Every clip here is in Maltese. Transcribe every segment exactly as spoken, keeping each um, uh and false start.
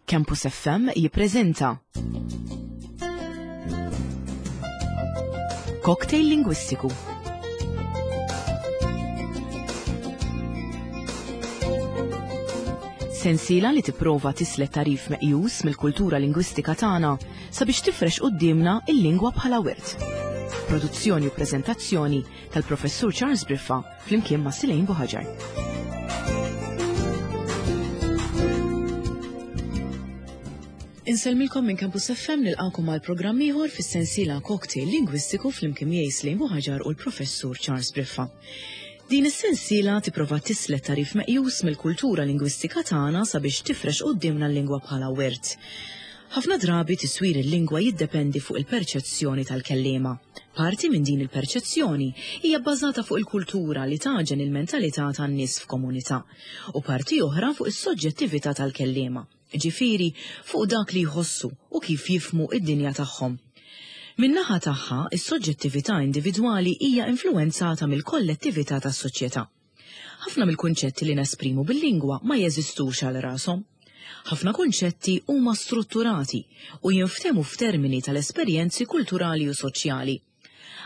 Campus F M jippreżenta Cocktail Lingwistiku. Sensiela li tipprova tislet tagħrif meqjus mill-kultura lingwistika tagħna sabiex tifrex quddiemna il-lingwa bħala wirt. Produzzjoni u preżentazzjoni tal-Professur Charles Briffa flimkien ma' Silejn Buħaġar. Insellmilkom minn Campus F M, nilqakom għal programm ieħor fis-sensiela Cocktail Lingwistiku flimkien miegħi Slejn Buħaġar u l-Professur Charles Briffa. Din is-sensiela tipprova tislet tagħrif meqjus mill-kultura lingwistika tagħna sabiex tifrex quddiemna l-lingwa bħala wirt. Ħafna drabi tiswir il-lingwa jiddependi fuq il-perċezzjoni tal-kellima. Parti minn din il-perċezzjoni hija bbażata fuq il-kultura li taġen il-mentalità tan-nies f'komunità u parti oħra fuq is-soġġettività tal-kellima, ġifieri fuq dak li jħossu u kif jifhmu id-dinja tagħhom. Min-naħa tagħha, is-soġġettività individwali hija influwenzata mill-kollettività tas-soċjetà. Ħafna mill-kunċetti li nesprimu bil-lingwa ma jeżistux għal rashom. Ħafna kunċetti huma strutturati u jinftehmu f'termini tal-esperjenzi kulturali u soċjali.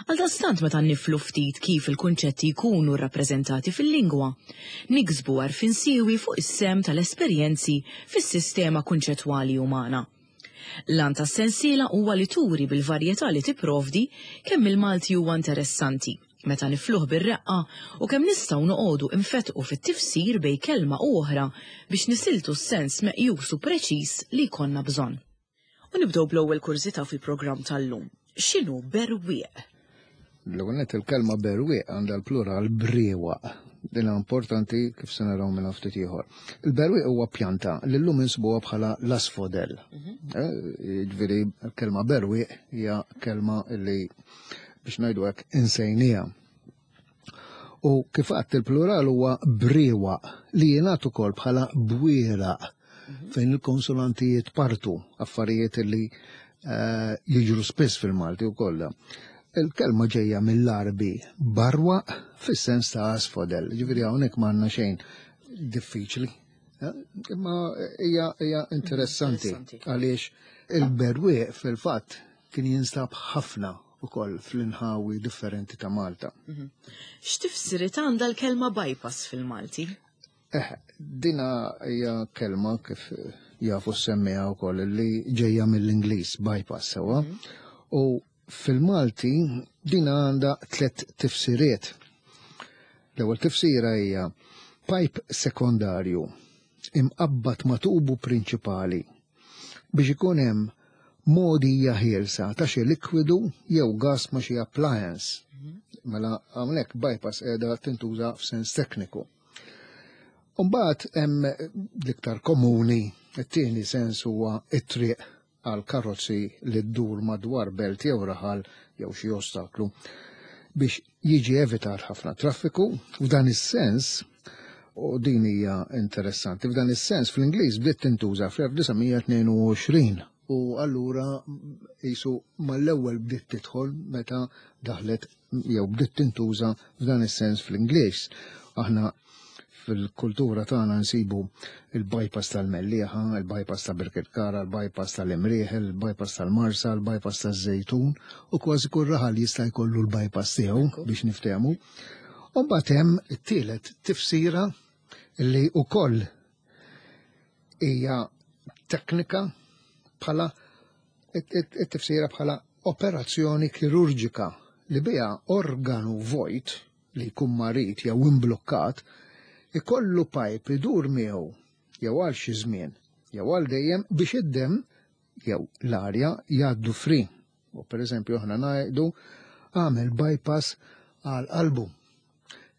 Għaldaqstant, meta niflu ftit kif il-kunċetti jkunu rrappreżentati fil-lingwa, niksbu għarfien siewi fuq is-sehem tal-esperjenzi fis-sistema kunċettwali umana. L-għan tas-sensiela huwa li turi bil-varjetà li tipprovdi kemm il-Malti huwa interessanti meta nifluh bir-reqqa u kemm nistgħu noqogħdu infetqu fit-tifsir bejn kelma u oħra biex nisiltu s-sens meqjus u preċiż li jkollna bżonn. U nibdew bl-ewwel kurżità fil-programm tal-lum. X'inhu berwieq? L-ewwel nett, il-kelma berwieq għandha l-plural briewaq. Din importanti, kif se naraw minn ftit ieħor. Il-berwieq huwa pjanta li llum insibuha bħala l-asfodel. Eh, Jiġifieri l-kelma berwieq hija kelma li, biex ngħidu hekk, insejnija. U kif għadt, il-plural huwa briewaq li jingħad ukoll bħala bwieraq, fejn il-konsonanti jitpartu, affarijiet li eh, jiġru spiss fil-Malti u kollha. Il-kelma ġejja mill-Arbi barwaq fis-sens ta' asfodel, ġifieri hawnhekk m'għandna xejn diffiċli. Eh, Imma hija hija interessanti Interessanti. għaliex il-berwieq fil-fatt kien jinstab ħafna ukoll fl-inħawi differenti ta' Malta. X'tifsiriet għandha l-kelma bypass fil-Malti? Eh, dina hija kelma, kif jafu s-semmiegħa wkoll, li ġejja mill-Ingliż, bypass, sewwa. U fil-Malti dina għandha tliet tifsiriet. L-ewwel tifsira hija pipe sekondarju imqabbad ma' tubu prinċipali biex ikun hemm mogħdija ħielsa ta' xi likwidu jew gas ma' xi appliance. Mela hawnhekk bypass qiegħda tintuża f'sens tekniku. Umbagħad hemm l-iktar komuni, it-tieni sens, huwa it-triq għal karozzi li ddur madwar belt jew raħal jew xi ostaklu biex jiġi evitat ħafna traffiku. F'dan is-sens, u din hija interessanti, f'dan is-sens fl-Ingliż bdiet tintuża fl-elf disa' mija tnejn u għoxrin u allura jisu mal-ewwel bdiet tidħol meta daħlet jew bdiet tintuża f'dan is-sens fl-Ingliż. Aħna fil-kultura tagħna nsibu il-bypass tal-Mellieħa, il-bypass ta' Birkirkara, il-bypass tal-Imrieħel, il-bypass tal-Marsa, il-bypass tal-Żejtun, u kważi kull raħal jista' jkollu l-bypass tiegħu, biex niftehmu. U mbagħad hemm it-tielet tifsira li wkoll hija teknika, bħala it-tifsira bħala operazzjoni kirurġika li biha organu vojt li jkun marid jew imblukkat ikollu pipe idur miegħu jew għal xi żmien jew għal dejjem biex id-dem jew l-arja jgħaddu free. U per eżempju aħna ngħidu għamel bypass għal qalbu.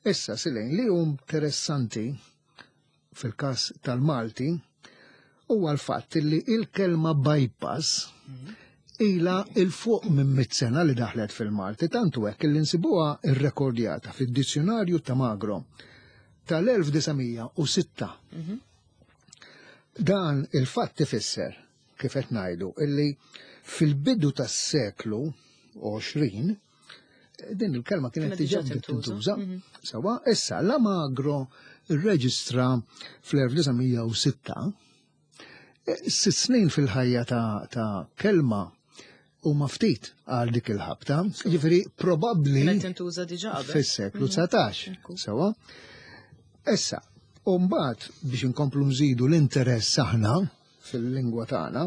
Issa, Silejn, li hu interessanti fil-każ tal-Malti huwa l-fatt li il-kelma bypass ila 'il fuq minn mit sena li daħlet fil-Malti, tantu hekk li nsibuha irrekordjata fid-dizzjonarju ta' Magro tal-elf disa' mija u sitta. Dan il-fatt ifisser, kif qed ngħidu, illi fil-bidu tas-seklu għoxrin din il-kelma kienet Kienet diġà diġà bdiet tintuża. tintuża. Sewwa, issa la Magro irreġistra fl-elf disa' mija u sitta, Sitt snin fil-ħajja ta', ta kelma huma ftit għal dik il-ħabta, ġifieri probabbli Kienet tintuża diġà qabel. Fis-seklu dsatax. Ekku. Sewa. Issa, u mbagħad biex inkomplu nżidu l-interess aħna fil-lingwa tagħna,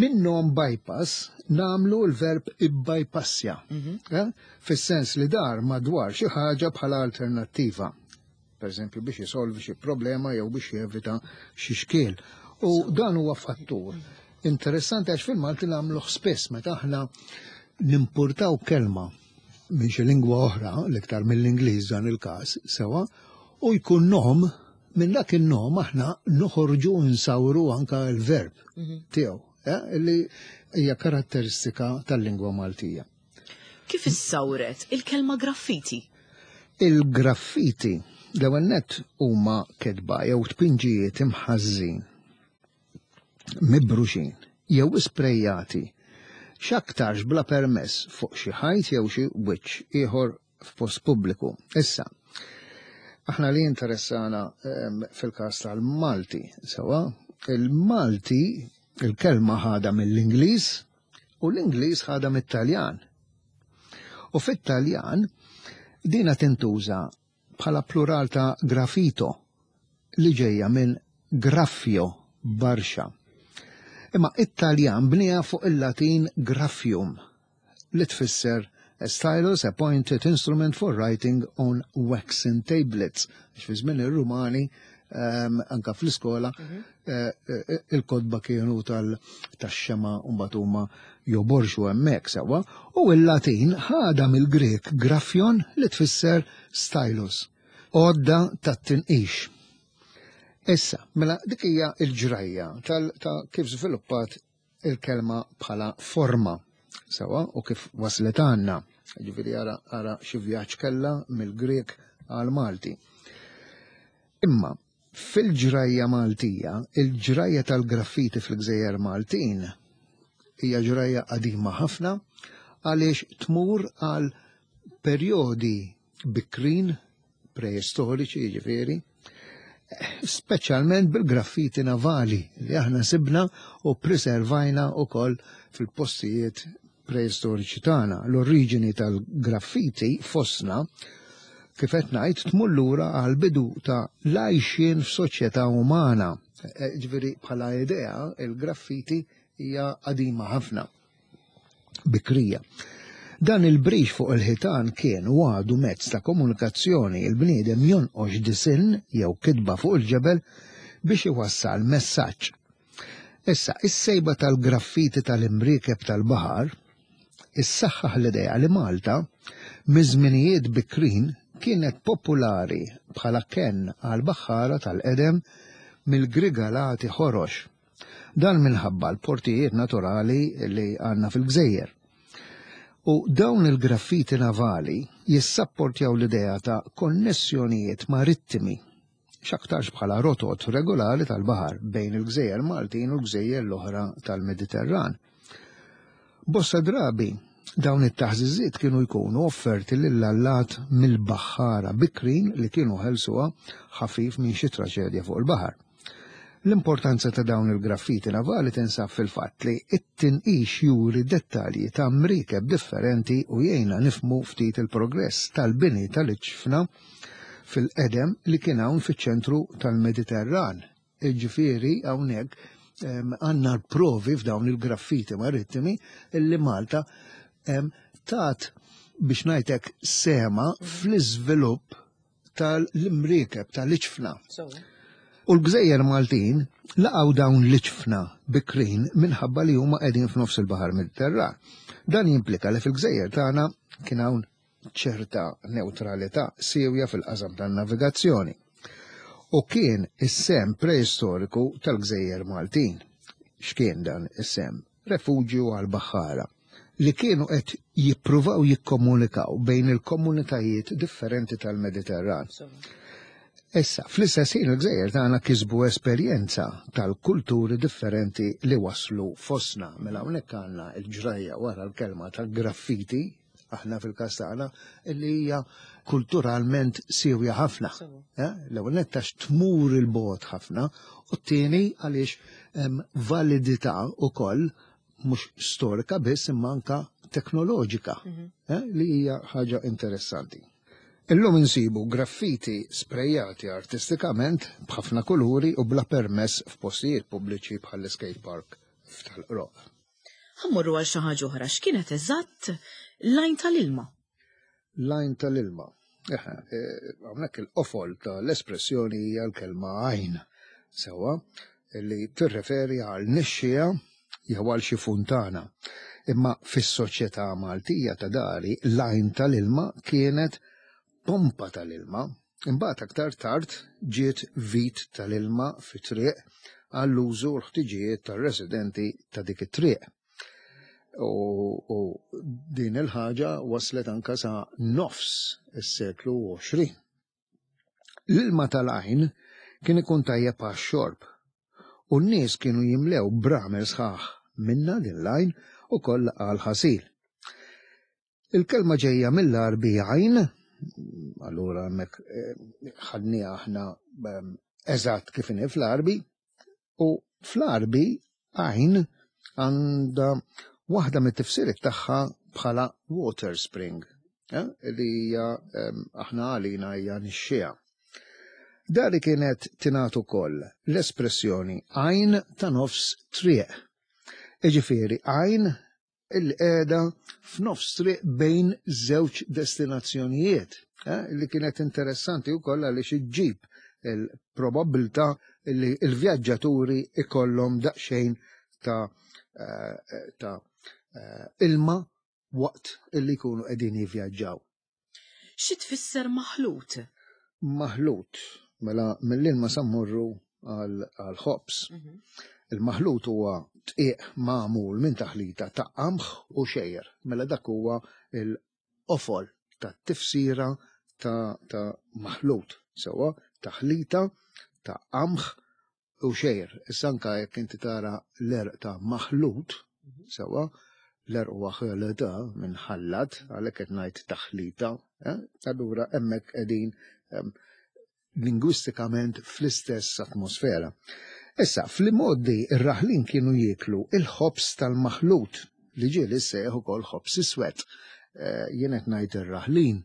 minnhom bypass nagħmlu l-verb ibbypassja. Eh? Fis-sens li dar madwar xi ħaġa bħala alternattiva. Per eżempju biex jisolvi xi problema jew biex jevita xi xkiel. U dan huwa fattur interessanti għax fil-Malti nagħmluh spiss meta aħna nimpurtaw kelma minn xi lingwa oħra, l-iktar mill-Ingliż dan il-każ, sewa, u jkun nom, minn dak il-nom aħna noħorġu nsawru anka l-verb tiegħu, eh, li hija karatteristika tal-lingwa Maltija. Kif issawret il-kelma graffiti? Il-graffiti l-ewwel nett huma kitba jew tpinġijiet imħażżin, mibruxin jew isprejjati x'aktarx bla permess fuq xi ħajt jew xi wiċċ ieħor f'post pubbliku. Issa, aħna li interessana em, fil-każ tal-Malti, sewa, il-Malti il-kelma ħada mill-Ingliż u l-Ingliż ħada mit-Taljan. U fit-Taljan dina tintuża bħala plural ta' graffito li ġejja minn graffio, barxa. Imma it-Taljan bniha fuq il-Latin graffium li tfisser a stylus, a pointed instrument for writing on waxen tablets. Għax fi żmien ir-Rumani um, anka fl-iskola eh, eh, il-kotba kienu tal-xema u mbagħad huma joborxu hemmhekk sewwa, u il-Latin ħada mill-Grek graffion li tfisser stylus, għodda tat-tinqix. Issa, mela dik hija l-ġrajja tal ta' kif żviluppat il-kelma bħala forma, sewa, u kif waslet għandna. Ġifieri ara, ara xi vjaġġ kellha mill-Grek għal Malti. Imma fil-ġrajja Maltija, il-ġrajja tal-graffiti fil-Gżejjer Maltin hija ġrajja qadima ħafna għaliex tmur għal perjodi bikrin preistoriċi, ġifieri, speċjalment bil-graffiti navali li aħna sibna u preservajna ukoll fil-postijiet preistoriċi tagħna. L-oriġini tal-graffiti fostna, kif qed ngħid, tmur lura għal bidu ta' l-għajxien f'soċjetà umana. E, Ġifieri bħala idea il-graffiti hija qadima ħafna, bikrija. Dan il-brix fuq il-ħitan kien u għadu mezz ta' komunikazzjoni, il-bniedem jonqox disinn jew kitba fuq il-ġebel biex iwassal messaġġ. Issa, is-sejba tal-graffiti tal-imriekeb tal-baħar issaħħaħ l-idea li Malta miż-żminijiet bikrin kienet popolari bħala kenn għal baħħara tal-qedem mill-grigalati ħorox. Dan minħabba l-portijiet naturali li għandna fil-gżejjer. U dawn il-graffiti navali jissapportjaw l-idea ta' konnessjonijiet marittimi, x'aktarx bħala rotot regolari tal-baħar bejn il-gżejjer Maltin u l-gżejjer l-oħra tal-Mediterran. Bosta drabi dawn it-taħżiżiet kienu jkunu offerti lill-allat mill-baħħara bikrin li kienu ħelsuha ħafif minn xi traġedja fuq il-baħar. L-importanza ta' dawn il-graffiti navali tinsab fil-fatt li it-tinqix juri dettalji ta' mriekeb differenti u jgħinna nifhmu ftit il-progress tal-bini tal-iġfna fil-qedem li kien hawn fiċ-ċentru tal-Mediterran. Ġifieri hawnhekk em, għandna l-provi f'dawn il-graffiti marittimi illi Malta em, tat biex ngħidlek sehemha fl-iżvilupp tal-imriekeb tal-iġfna. U l-gżejjer Maltin laqgħu dawn l-iġfna bikrin minħabba li huma qegħdin f'nofs il-Baħar Mediterran. Dan jimplika li fil-gżejjer tagħna kien hawn ċerta neutralità siewja fil-qasam tan-navigazzjoni. U kien is-sehem preistoriku tal-gżejjer Maltin. X'kien dan is-sehem? Refuġju għal-baħħara li kienu qed jippruvaw jikkomunikaw bejn il-komunitajiet differenti tal-Mediterran. Issa, fl-istess ħin il-gżejjer tagħna kisbu esperjenza tal-kulturi differenti li waslu fostna. Mela hawnhekk għandna l-ġrajja wara l-kelma tal-graffiti aħna fil-każ tagħna, li hija kulturalment siewja ħafna. Eh, l-ewwel nett għax tmur il-bogħod ħafna, u t-tieni għaliex hemm validità wkoll mhux storika biss imma anka teknoloġika, eh, li hija ħaġa interessanti. Illum insibu graffiti sprejjati artistikament b'ħafna kuluri u bla permess f'postijiet pubbliċi bħal skate park f'Tal-Qroqq. Ħa mmorru għal xi ħaġa oħra, x'kienet eżatt l-għajn tal-ilma? L-għajn tal-ilma. Hawnhekk il-qofol tal-espressjoni hija l-kelma għajn, sewwa, li tirreferi għal nixxija jew għal xi funtana. Imma fis-soċjetà Maltija ta' dari l-għajn tal-ilma kienet pompa tal-ilma. Imbagħad aktar tard ġiet vit tal-ilma fi triq għall-użu u l-ħtiġijiet tar-residenti ta' dik it-triq. U, u din il-ħaġa waslet anka sa nofs is-seklu għoxrin. L-ilma tal-għajn kien ikun tajjeb għax-xorb u n-nies kienu jimlew bramel sħaħ minna din l-għajn u koll għal-ħasil. Il-kelma ġejja mill-Għarbi għajn, allura hemmhekk ħadniha aħna eżatt kif inhi fl-Għarbi, u fl-Għarbi għajn għandha waħda mit-tifsiriet tagħha bħala water spring, eh, li hija aħna għalina hija nixxiegħa. Dari kienet tingħad ukoll l-espressjoni għajn ta' nofs triq. Iġifieri għajn il-qiegħda f'nofs triq bejn żewġ destinazzjonijiet, eh, li kienet interessanti wkoll għaliex iġġib il-probabilità li l-vjaġġaturi ikollhom daqsxejn ta' eh, ta' eh, ilma waqt illi jkunu qegħdin jivvjaġġaw. Xi tfisser maħlut? Maħlut, mela mill-ilma sa mmorru għal ħobż. Il-maħlut huwa dqiq magħmul minn taħlita ta' qamħ u xgħir. Mela dak huwa il-qofol ta' tifsira ta', ta maħlut. Sewwa, taħlita ta' qamħ u xgħir. Issa anka jekk inti tara l-għerq ta' maħlut, sewwa, l-għerq huwa ħeleta minn ħallat, għalhekk qed ngħid taħlita, eh? Allura hemmhekk qegħdin em, lingwistikament fl-istess atmosfera. Issa, fl-modi ir-raħlin kienu jieklu il-ħobż tal-maħlut li ġieli ssejjaħ ukoll ħobż iswed. Eh, Jien qed ngħid ir-raħlin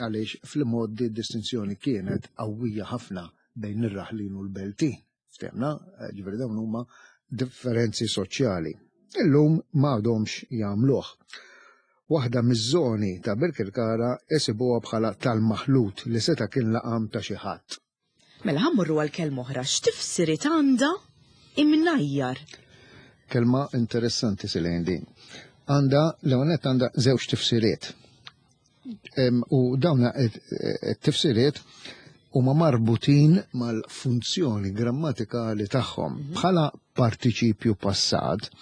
għaliex fl-modi distinzjoni kienet qawwija ħafna bejn ir-raħlin u l-beltin. Ftehmna, eh, ġifieri dawn huma differenzi soċjali. Illum m'għadhomx jagħmluh. Waħda miż-żoni ta' Birkirkara isibuha bħala tal-maħlut li seta' kien laqam ta' xi ħadd. Mela ħa mmorru għal kelma oħra, x'tifsiriet għandha imnajjar? Kelma interessanti silejn din. Għandha, l-għonet għandha żewġ tifsiriet. Em, U dawna it-tifsiriet huma marbutin mal-funzjoni grammatikali tagħhom. Bħala partiċipju passat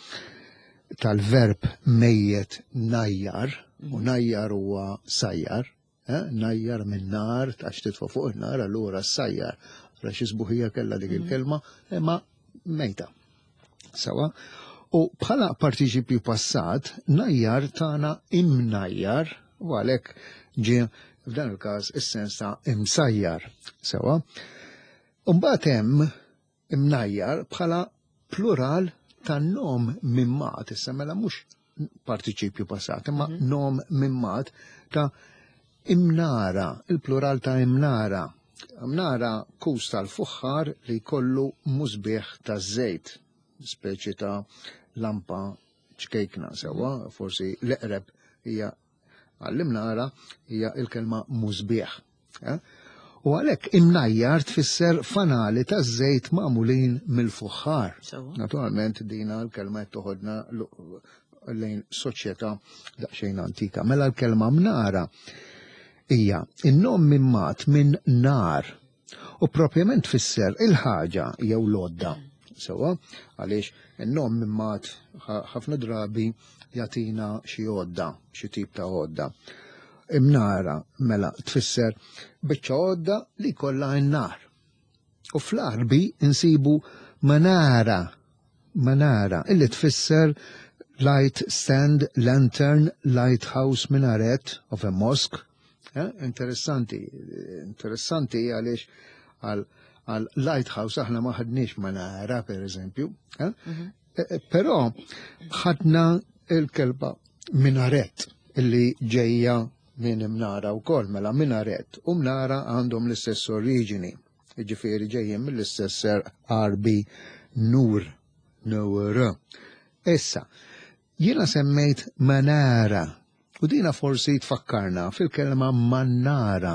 tal-verb mejjet najjar, u najjar huwa sajjar, eh? Najjar minn nar, għax titfa' fuq in-nar, allura sajjar. Ra xi sbuħija kellha dik il-kelma, imma mejta. Sewwa, u bħala partiċipju passat, najjar tana imnajjar, u għalhekk ġie f'dan il-każ is-sens ta' imsajjar. Sewwa. Mbagħad hemm imnajjar bħala plural ta' nom mimmat, issa mela mhux partiċipju passat, imma nom mimmat ta' imnara, il-plural ta' imnara. Imnara kus tal-fuħħar li kollu musbieħ ta' żejt, speċi ta' lampa ċkejkna sewwa, forsi l-eqreb hija għall-imnara hija il-kelma musbieħ. Eh? U għalhekk imnajjar tfisser fanali ta' żejt magħmulin mill-fuħħar. Sewwa. Naturalment dina l-kelma qed toħodna l- lejn soċjetà daqsxejn antika. Mela l-kelma mnara hija in-nom mimmat minn nar u propjament tfisser il-ħaġa jew l-għodda. Sewwa, għaliex in-nom mimmat ħafna drabi jagħtina xi għodda, xi tip ta' għodda. Imnara mela tfisser biċċa għodda li kollha n-nar. U fl-Għarbi insibu manara, manara, illi tfisser Light stand, lantern, lighthouse, minaret of a mosque. Eh, interessanti, interessanti għaliex għal għal lighthouse aħna ma ħadniex manara, per eżempju. Eh? Mm -hmm. Però ħadna il-kelma minaret illi ġejja minn imnara u kol, mela minaret u mnara għandhom l-istess oriġini. Ġifieri ġejjin mill-istess Għarbi nur, nur. Issa, jiena semmejt manara u dina forsi tfakkarna fil-kelma mannara.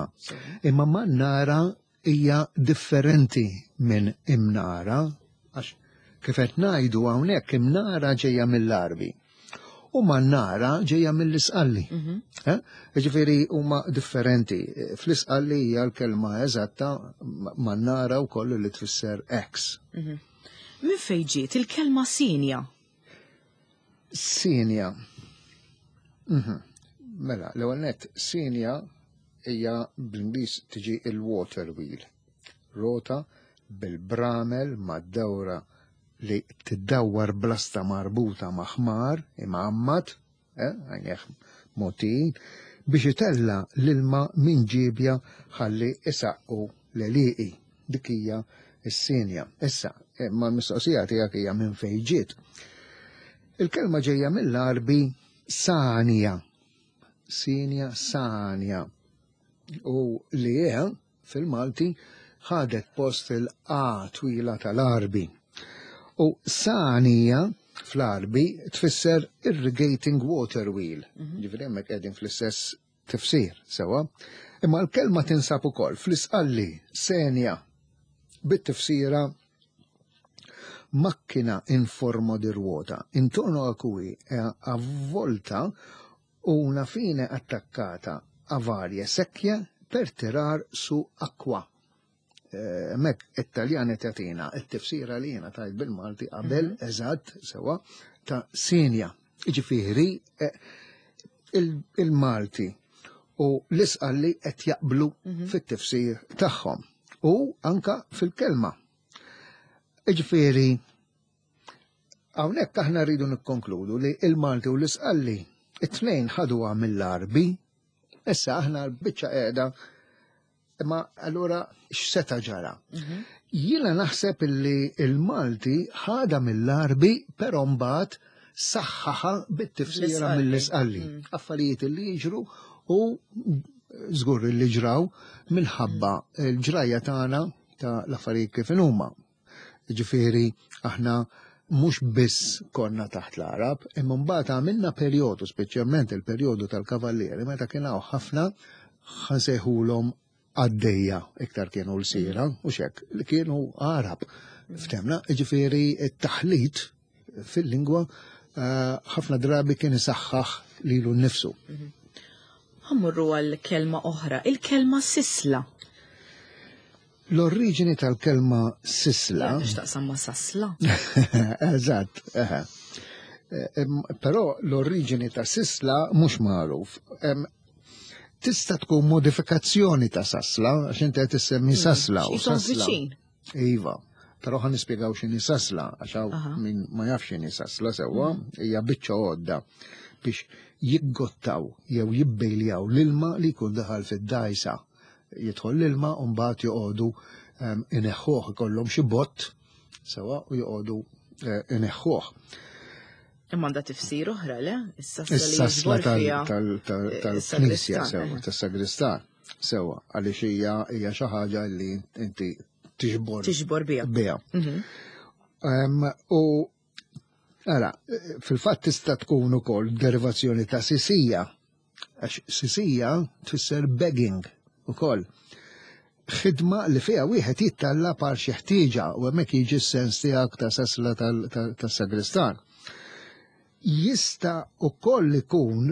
Imma mannara hija differenti minn imnara, għax kif qed ngħidu hawnhekk imnara ġejja mill-Għarbi u mannara ġejja mill-Isqalli. Mm -hmm. Ġifieri huma differenti. Fl-Isqalli hija l-kelma eżatta mannara wkoll li tfisser X. Mm -hmm. Min fejn ġiet il-kelma sinja? Sinja. Mm -hmm. Mela, l-ewwel nett sinja hija bl-Ingliż tiġi il-water wheel. Rota bil-bramel mad-dawra li tiddawwar blasta marbuta ma' ħmar imgħammad, eh, għajneħ motin, biex itella l-ilma minn ġibja ħalli isaqqu l-għelieqi. Dik hija s-sinja. Issa, eh, ma l-mistoqsija tiegħek hija minn fejn ġiet. Il-kelma ġejja mill-Għarbi sanja. Sinja, sanja. U li hija fil-Malti ħadet post il-A twila tal-Għarbi. U sanija fl-Għarbi tfisser irrigating water wheel. Mhm. Ġifieri hemmhekk qegħdin fl-istess tifsir, sewa. Imma l-kelma tinsab ukoll fl-Isqalli senja bit-tifsira macchina in forma di ruota, intorno a cui è avvolta una fine attaccata a varie secchie per tirar su acqua. Mek it-Taljan tagħtina it-tifsira li jiena tajt bil-Malti qabel mhm. eżatt sewa ta' sinja. Ġifieri eh, il-Malti u l-Isqalli qed jaqblu mhm. fit-tifsir tagħhom u anka fil-kelma. Ġifieri hawnhekk aħna rridu nikkonkludu li il-Malti u l-Isqalli it-tnejn ħaduha mill-Għarbi, issa aħna l-biċċa qiegħda. Imma allura x'seta ġara? Mhm. Jiena naħseb illi il-Malti ħada mill-Għarbi, però mbagħad saħħaħa bit-tifsira mill-Isqalli. Mm. Affarijiet li jiġru u żgur li ġraw minħabba mm. l-ġrajja tagħna ta' l-affarijiet kif huma. Ġifieri aħna mhux biss konna taħt l-Arab, imma mbagħad għamilna perjodu, speċjalment il-perjodu tal-Kavallieri, meta kien hawn ħafna ħansejħulhom għaddejja, iktar kienu l-sira, u xek, li kienu Arab. Ftemna, ġifieri t-taħlit fil-lingwa eh, ħafna drabi kien isaħħaħ lilu nnifsu. Ħa mmorru għal kelma oħra, il-kelma sisla. L-oriġini tal-kelma sisla. X'taqsam ma' sasla? Eżatt, eħe. Eh, però l-oriġini ta' sisla mhux magħruf. Tista' tkun modifikazzjoni ta' sasla, għax inti qed issemmi hmm, sasla u sasla. Iva, però ħa nispjegaw x'inhi sasla, għax hawn min ma jafx x'inhi sasla sewwa, hmm. hija biċċa għodda biex jiggottaw jew jibbejljaw l-ilma li jkun daħal fid-dajsa. Jidħol l-ilma u mbagħad joqogħdu ineħħuh, ikollhom xi bott sewa u joqogħdu eh, ineħħuh. Imma għandha tifsir oħra, le? Is-sasla tal-knisja sewa, tas-sagristan sewa, għaliex hija hija xi ħaġa li inti tiġbor. Tiġbor biha. Biha. Mhm. U ara, fil-fatt tista' tkun ukoll derivazzjoni ta' sisija, għax sisija tfisser begging ukoll. Ħidma li fiha wieħed jittalla par xi ħtieġa u hemmhekk jiġi s-sens tiegħek ta' sasla tas-sagristan. Jista' ukoll ikun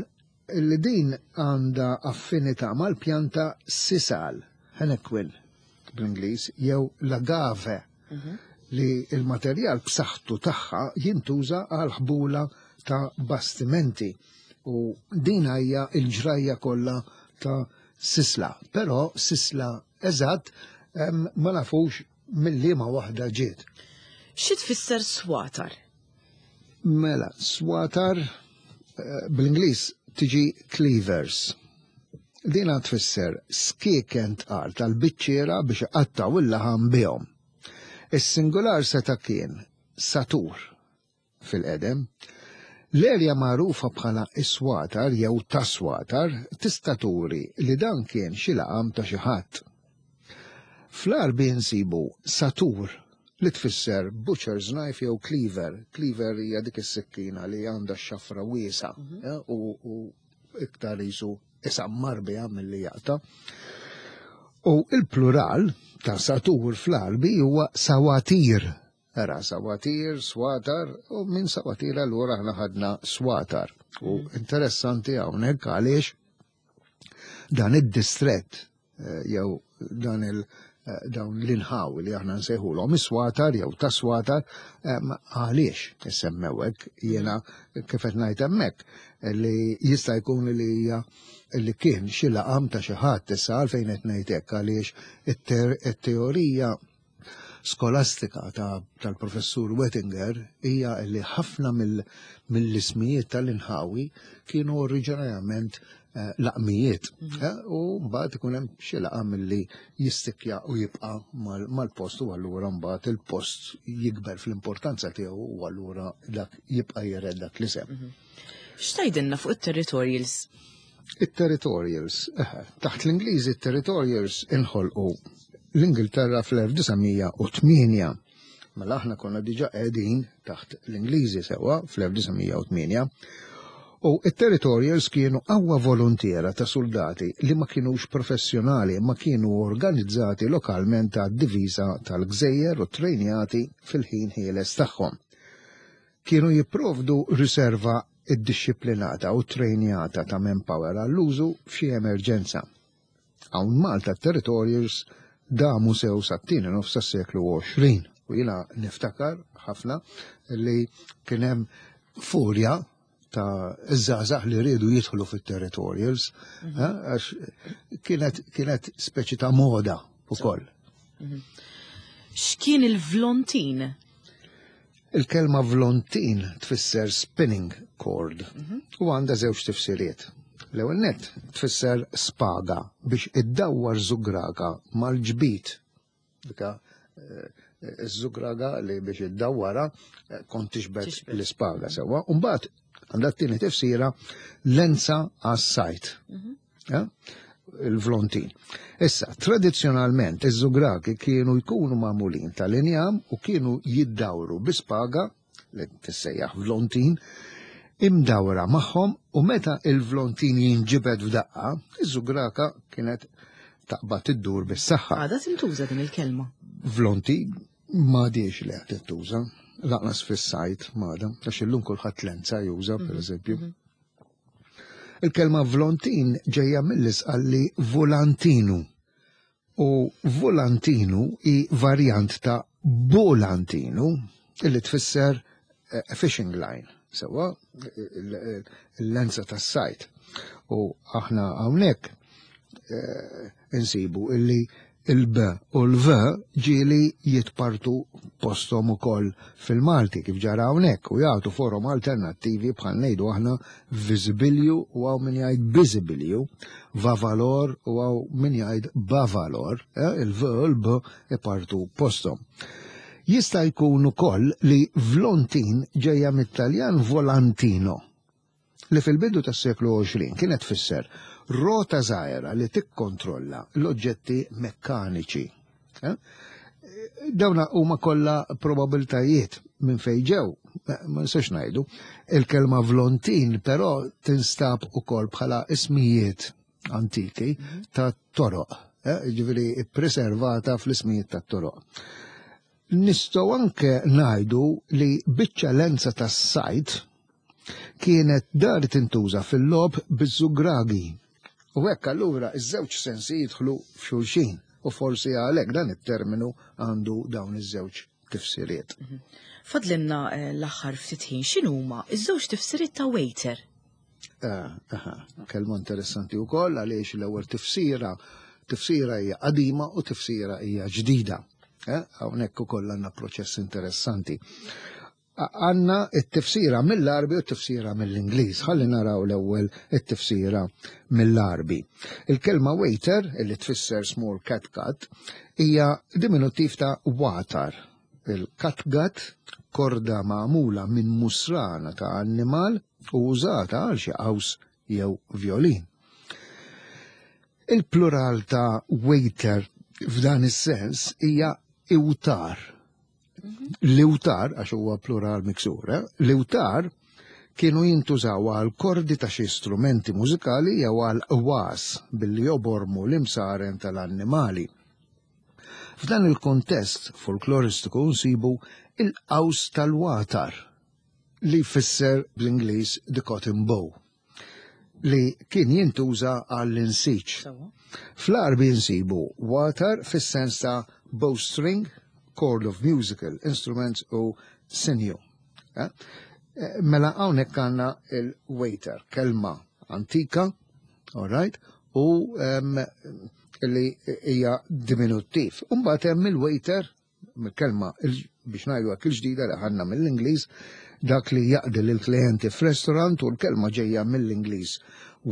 li din għandha affinità mal-pjanta sisal, henequin bl-Ingliż, jew l-agave, mhm. li il-materjal b'saħħtu tagħha jintuża għal ħbula ta' bastimenti. U din hija l-ġrajja kollha ta' sisla. Però sisla eżatt ma nafux mill-liema waħda ġiet. Xi tfisser swatar? Mela, swatar eh, bl-Ingliż tiġi cleavers. Dina tfisser skieken tqal tal-biċċiera biex iqattgħu il-laħam bihom. Is-singular seta' kien satur fil-qedem. L-erja magħrufa bħala iswatar jew taswatar tista' turi li dan kien xi laqam ta' xi ħadd. Fl-Għarbi nsibu satur li tfisser butcher's knife jew cleaver. Cleaver hija dik is-sikkina li għandha x-xafra wiesgħa eh, u, u iktar jisu isammar biha milli jaqta'. U il-plural ta' satur fl-Għarbi huwa sawatir. Era sawatir, swatar, u minn sawatir allura aħna ħadna swatar. U interessanti hawnhekk għaliex dan id-distret eh, jew dan il eh, dawn l-inħawi li aħna nsejħulhom is-swatar jew tas-swatar eh, għaliex issemmew hekk jiena kif qed ngħid hemmhekk li jista' jkun li hija li kien xi laqam ta' xi ħadd issa għalfejn qed ngħid hekk għaliex it-teorija skolastika tal-professur Wettinger hija li ħafna mill-ismijiet tal-inħawi kienu oriġinarjament eh, laqmijiet. Mhm. Eh, u mbagħad ikun hemm xi laqam li jistikja u jibqa' mal-post u allura mbagħad il-post jikber fl-importanza tiegħu u allura dak jibqa' jiret dak l-isem. Mhm. X'tgħidilna fuq it-territorials? It-territorials, eh, taħt l-Ingliżi it-territorials inħolqu l-Ingilterra fl-elf disa' mija u tmienja. Mela aħna konna diġa qegħdin taħt l-Ingliżi sewwa fl-elf disa' mija u tmienja. U it-territorials kienu qawwa volontiera ta' soldati li ma kienux professjonali ma kienu organizzati lokalment ta' diviża tal-gżejjer u trejnjati fil-ħin ħieles tagħhom. Kienu jipprovdu riserva iddixxiplinata u trejnjata ta' manpower għall-użu f'xi emerġenza. Hawn Malta territorials damu sew sat-tieni nofs tas-seklu għoxrin u jiena niftakar ħafna li kien hemm furja ta' iż-żgħażagħ li riedu jidħlu fit-territorials, Mhm. eh, għax kienet, kienet speċi ta' moda ukoll. Mhm. X'kien il-vlontin? Il-kelma vlontin tfisser spinning cord Mhm. u għandha żewġ tifsiriet. L-ewwel nett tfisser spaga biex iddawwar żugraga mal-ġbit. Dika, eh, iż-żugraga li biex iddawwara, eh, kont tixbet Tixbet. l-ispaga sewwa. U mbagħad għandha t-tieni tifsira lenza għas-sajt. Mhm. Ja? Il-vlontin. Issa, tradizzjonalment iż-żugragi kienu jkunu magħmulin tal-injam u kienu jiddawru bi spaga li tissejjaħ vlontin imdawra magħhom u meta il-vlontin jinġibed f'daqqa, iż-żugraka kienet taqbad iddur bis-saħħa. Għadha tintuża din il-kelma. Vlontin m'għadix li qed tintuża, lanqas fis-sajt m'għadha, għax illum kulħadd lenza juża, Mhm, pereżempju. mhm. Il-kelma vlontin ġejja mill-Isqalli volantinu. U volantinu hi varjant ta' bolantinu illi tfisser, eh, fishing line, sewwa il-lenza tas-sajt. U aħna hawnhekk, eh, insibu illi il-B u l-V ġieli jitpartu postom ukoll fil-Malti kif ġara hawnhekk u jagħtu forom alternattivi bħal ngħidu aħna visibilju u hawn min jgħid biżibilju, vavalor u hawn min jgħid bavalor, eh, il-V u l-B ipartu postom. Jista' jkun ukoll li vlontin ġejja mit-Taljan volantino, li fil-bidu tas-seklu għoxrin kienet tfisser rota żgħira li tikkontrolla l-oġġetti mekkaniċi. Eh? Dawna huma kollha probabiltajiet minn fejn ġew, ma nistax ngħidu. Il-kelma vlontin però tinstab ukoll bħala ismijiet antiki Mhm. ta' toroq, eh? Ġifieri ppreservata fl-ismijiet ta' toroq. Nistgħu anke ngħidu li biċċa lenza tas-sajt kienet dar tintuża fil-logħob biż-żugragi. U hekk allura iż-żewġ sensi jidħlu f'xulxin u forsi għalhekk dan it-terminu għandu dawn iż-żewġ tifsiriet. Mhm. Fadlinna, eh, l-aħħar ftit ħin, x'inhuma iż-żewġ tifsiriet ta' waiter? Eh, aha, kelma interessanti wkoll għaliex l-ewwel tifsira, tifsira hija qadima u tifsira hija ġdida. Eh, hawnhekk ukoll għandna proċess interessanti. Għandna it-tifsira mill-Għarbi u t-tifsira mill-Ingliż. Ħalli naraw l-ewwel it-tifsira mill-Għarbi. Il-kelma waiter, illi tfisser small catgut, hija diminutiv ta' watar. Il-catgut, korda magħmula minn musrana ta' annimal u użata għal xi qaws jew violin. Il-plural ta' waiter f'dan is-sens hija iwtar. L-iwtar, għax huwa plural miksur, eh? L-iwtar kienu jintużaw għal kordi ta' xi strumenti mużikali jew għal qwas billi jobormu l-imsaren tal-annimali. F'dan il-kontest folkloristiku nsibu il-qaws tal-watar, li jfisser bl-Ingliż the cotton bow, li kien jintuża għall-insiġ. Sewwa. Fl-Għarbi nsibu watar fis-sens ta' bowstring, cord of musical instruments u sinew. Eh? Eh, Mela hawnhekk għandna il-waiter, kelma antika, all right, u um, li hija diminuttiv. Umbagħad hemm il-waiter, mill-kelma il- biex ngħidu hekk il-ġdida li ħadna mill-Ingliż, dak li jaqdi lill-klijenti f'restaurant, u l-kelma ġejja mill-Ingliż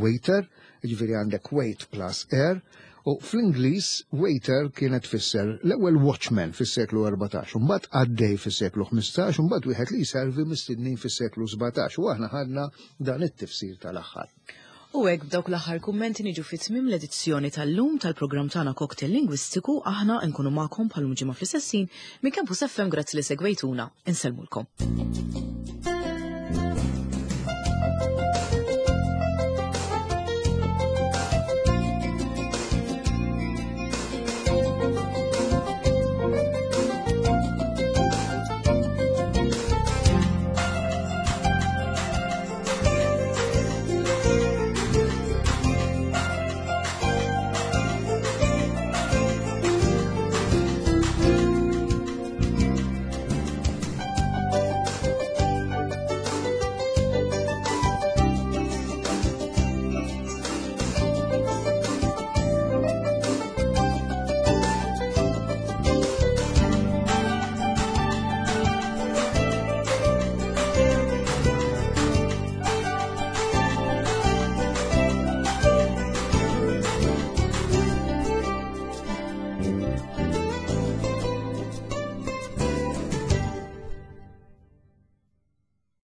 waiter, ġifieri għandek wait plus air, u fl-Ingliż waiter kienet tfisser l-ewwel watchman fis-seklu erbatax, u mbagħad qaddej fis-seklu ħmistax, u mbagħad wieħed li jservi mistednin fis-seklu sbatax, u aħna ħadna dan it-tifsir tal-aħħar. U hekk, b'dawk l-aħħar kummenti, niġu fi tmiem l-edizzjoni tal-lum tal-programm tagħna Cocktail Lingwistiku. Aħna nkunu magħkom bħal ġimgħa fl-istess ħin minn Campus F M. Grazzi li segwejtuna. Insellmulkom.